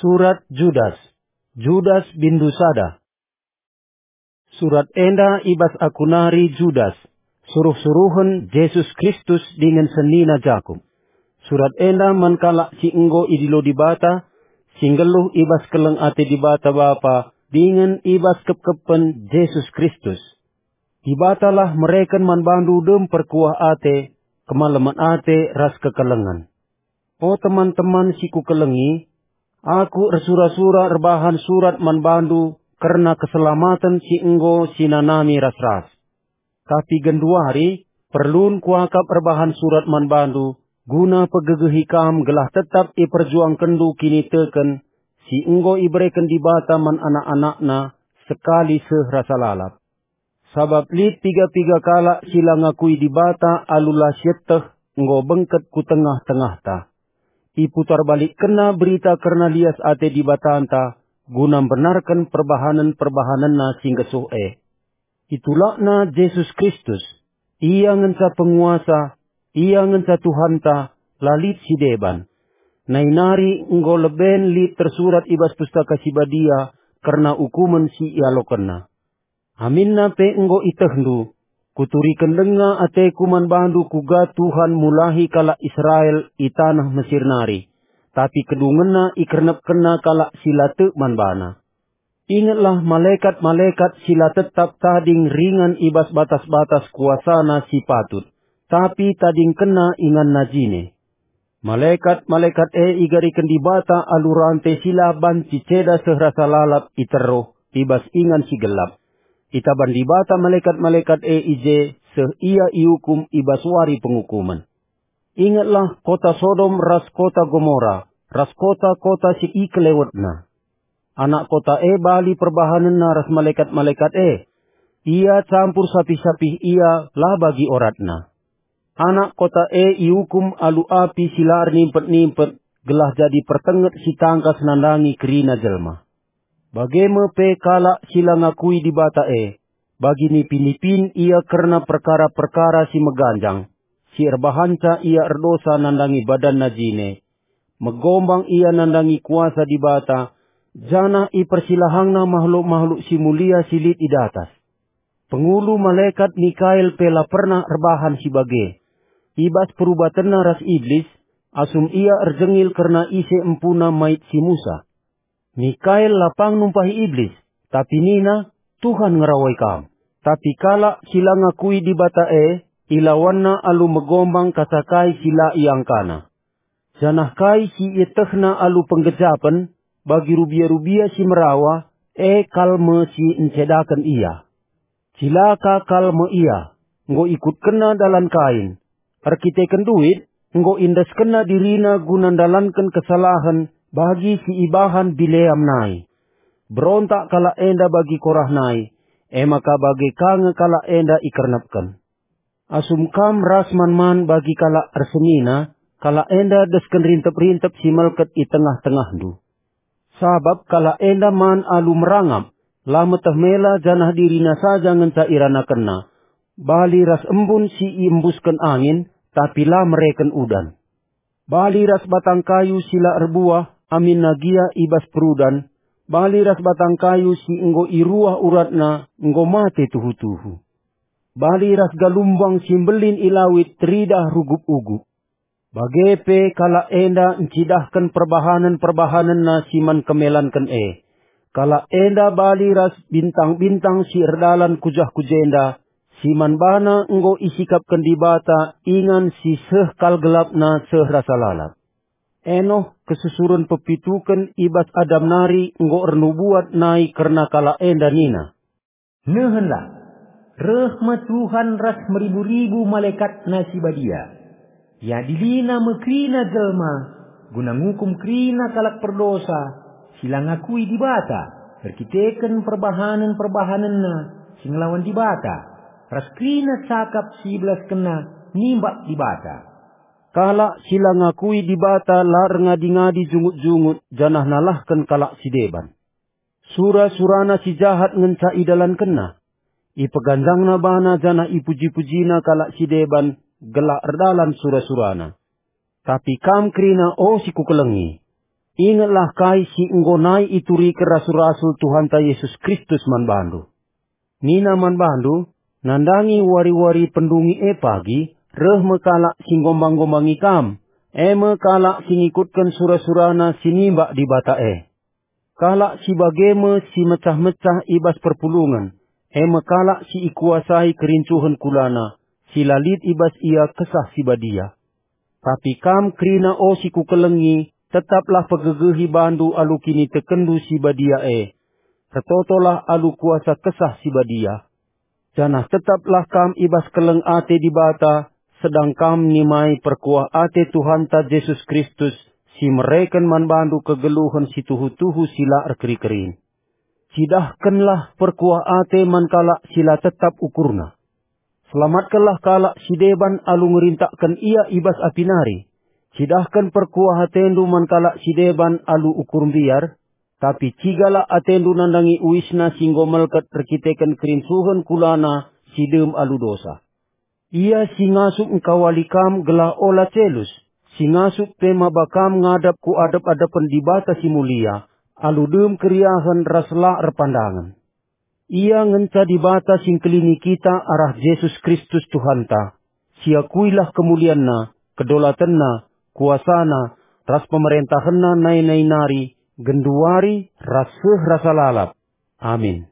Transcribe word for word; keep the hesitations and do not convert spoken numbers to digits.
Surat Judas. Judas bindu sada. Surat enda i bas aku nari, Judas, suruh-suruhen Jesus Kristus dingen senina Jakup. Surat enda man kalak si enggo idilo Dibata, si nggeluh i bas keleng ate Dibata Bapa dingen i bas kepkepen Jesus Kristus. Dibatalah mereken man bandu dem perkuah ate, kemalemen ate ras kekelengen. O teman-teman si kukelengi, aku ersura-sura erbahan surat man bandu kerna keselamaten si enggo sinanami ras-ras. Tapi genduari, perlun kuakap erbahan surat man bandu, guna pegegehi kam gelah tetap iperjuangkenndu kiniteken si enggo ibereken Dibata man anak-anakNa sekali seh rasa lalap. Sabap lit piga-piga kalak si la ngakui Dibata alu la sieteh enggo bengket ku tengah-tengahta. Iputarbalikkenna berita kerna lias ate Dibatanta guna mbenarken perbahanen-perbahanenNa si nggesuh e. Itulakna Jesus Kristus. Ia ngenca penguasa, Ia ngenca Tuhanta, la lit si deban. Nai nari enggo leben lit tersurat i bas Pustaka Si Badia kerna ukumen si ialokenNa. Aminna pe enggo ietehndu, kuturiken denga ateku man bandu kuga Tuhan mulahi kalak Israel i taneh Mesir nari, tapi kedungenna ikernepkenna kalak si la tek man baNa. Ingetlah malekat-malekat si la tetap tading ringan i bas batas-batas kuasana si patut, tapi tadingkenna inganna jine. Malekat-malekat e igariken Dibata alu rante si la banci ceda seh rasa lalap i teruh i bas ingan si gelap. Itaban Dibata malekat-malekat e i je seh ia iukum i bas wari pengukumen. Ingetlah kota Sodom ras kota Gomora, ras kota-kota si ikelewetna. Anak kota e bali perbahanenna ras malekat-malekat e. Ia campur sapih-sapih ia la bagi oratna. Anak kota e iukum alu api si la ernimpet-nimpet, gelah jadi pertenget si tangkas nandangi kerina jelma. Bage me pe kalak si la ngakui Dibata e, bagi nipi-nipin ia kerna perkara-perkara si meganjang, si erbahanca ia erdosa nandangi badanna jine, megombang ia nandangi kuasa Dibata, janah ipersilahangna mahluk-mahluk si mulia si lit i datas. Pengulu malekat Mikael pe la pernah erbahan si bage. I bas perubatenna ras Iblis, asum ia erjengil kerna ise empuna mait si Musa. Mikael la pang numpahi Iblis, tapi nina, "Tuhan ngerawai kam." Tapi kalak si la ngakui Dibata e, ilawanna alu megombang kasa kai si la iangkana. Janah kai si ietehna alu penggejapen, bagi rubia-rubia si merawa, e kal me si ncedaken ia. Cilaka kal me ia, enggo ikutkenna dalan Kain. Erkiteken duit, enggo iendeskenna dirina guna ndalanken kesalahen bagi si ibahan Bileam nai. Berontak kalak enda bagi Korah nai, e maka bage ka nge kalak enda ikernepken. Asum kam ras man-man bagi kalak ersenina, kalak enda desken rintep-rintep si melket i tengah-tengahndu. Sabap kalak enda man alu merangap, la meteh mela janah dirina saja ngenca iranakenna, bali ras embun si iembusken angin, tapi la mereken udan. Bali ras batang kayu si la erbuah, aminna gia i bas perudan, bali ras batang kayu si enggo iruah uratna, enggo mate tuhu-tuhu. Bali ras galumbang si mbelin i lawit teridah rugup-ugup. Bage pe kalak enda ncidahken perbahanen-perbahanenna si man kemelanken e. Kalak enda bali ras bintang-bintang si erdalan ku jah ku jenda, si man bana enggo isikapken Dibata ingan si seh kal gelapna seh rasa lalap. Enoh, kesusuren pepituken i bas Adam nari enggo ernubuat nai kerna kalak enda nina, "Nehenlah, reh me Tuhan ras meribu-ribu malekatNa si badia. IadiliNa me kerina jelma, guna ngukum kerina kalak perdosa, si la ngakui Dibata, erkiteken perbahanen-perbahanenna si ngelawan Dibata, ras kerina cakap si ibelaskenna nimbak Dibata." Kalak si la ngakui Dibata la erngadi-ngadi jungut-jungut janah nalahken kalak si deban. Sura-surana si jahat ngenca idalankenna. Ipeganjangna bana janah ipuji-pujina kalak si deban gelah erdalan sura-surana. Tapi kam kerina, o si kukelengi, Ingetlah kai si enggo nai ituriken rasul-rasul Tuhanta Jesus Kristus man bandu. Nina man bandu, nandangi wari-wari pendungi e pagi, reh me kalak si nggombang-ngombangi kam, e me kalak si ngikutken sura-surana si nimbak Dibata e. Kalak si bage me si mecah-mecah i bas perpulungen, e me kalak si ikuasai kerincuhen kulana, si la lit i bas ia Kesah Si Badia. Tapi kam kerina, o si kukelengi, tetaplah pegegehi bandu alu kinitekenndu si badia e. Ertotolah alu kuasa Kesah Si Badia. Janah tetaplah kam i bas keleng ate Dibata, sedang kam nimai perkuah ate Tuhanta Jesus Kristus, si mereken man bandu kegeluhen si tuhu-tuhu si la erkeri-kerin. Cidahkenlah perkuah ate man kalak si la tetap ukurna. Selamatkenlah kalak si deban alu ngerintakken ia i bas api nari. Cidahken perkuah atendu man kalak si deban alu ukur mbiar, tapi cigalah atendu nandangi uisna si enggo melket erkiteken kerincuhen kulana si dem alu dosa. Ia si ngasup engkawali kam gelah ola celus, si ngasup pe maba kam ngadap ku adep-adepen Dibata si Mulia, alu dem keriahen ras la erpandangen. Ia ngenca Dibata si engkelini kita arah Jesus Kristus Tuhanta. Siakuilah kemulianNa, kedolatenNa, kuasaNa, ras pemerentahenNa nai-nai nari, genduari, ras seh rasa lalap. Amin.